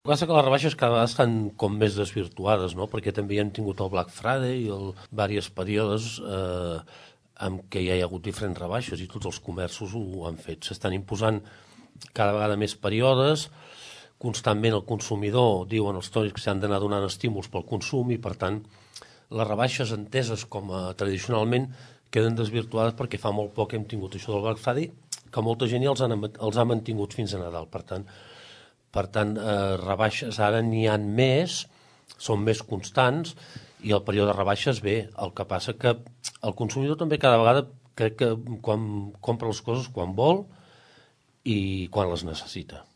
El que passa que les rebaixes cada vegada estan com més desvirtuades, no? Perquè també hem tingut el Black Friday i diversos períodes en què ja hi ha hagut diferents rebaixes i tots els comerços ho han fet. S'estan imposant cada vegada més períodes, constantment el consumidor, diuen els tònics, que s'han d'anar donant estímuls pel consum i, per tant, les rebaixes enteses com a tradicionalment queden desvirtuades perquè fa molt poc hem tingut això del Black Friday, que molta gent ja els ha mantingut fins a Nadal. Per tant, rebaixes ara n'hi ha més, són més constants i el període de rebaixes ve. El que passa que el consumidor també cada vegada crec que quan compra les coses quan vol i quan les necessita.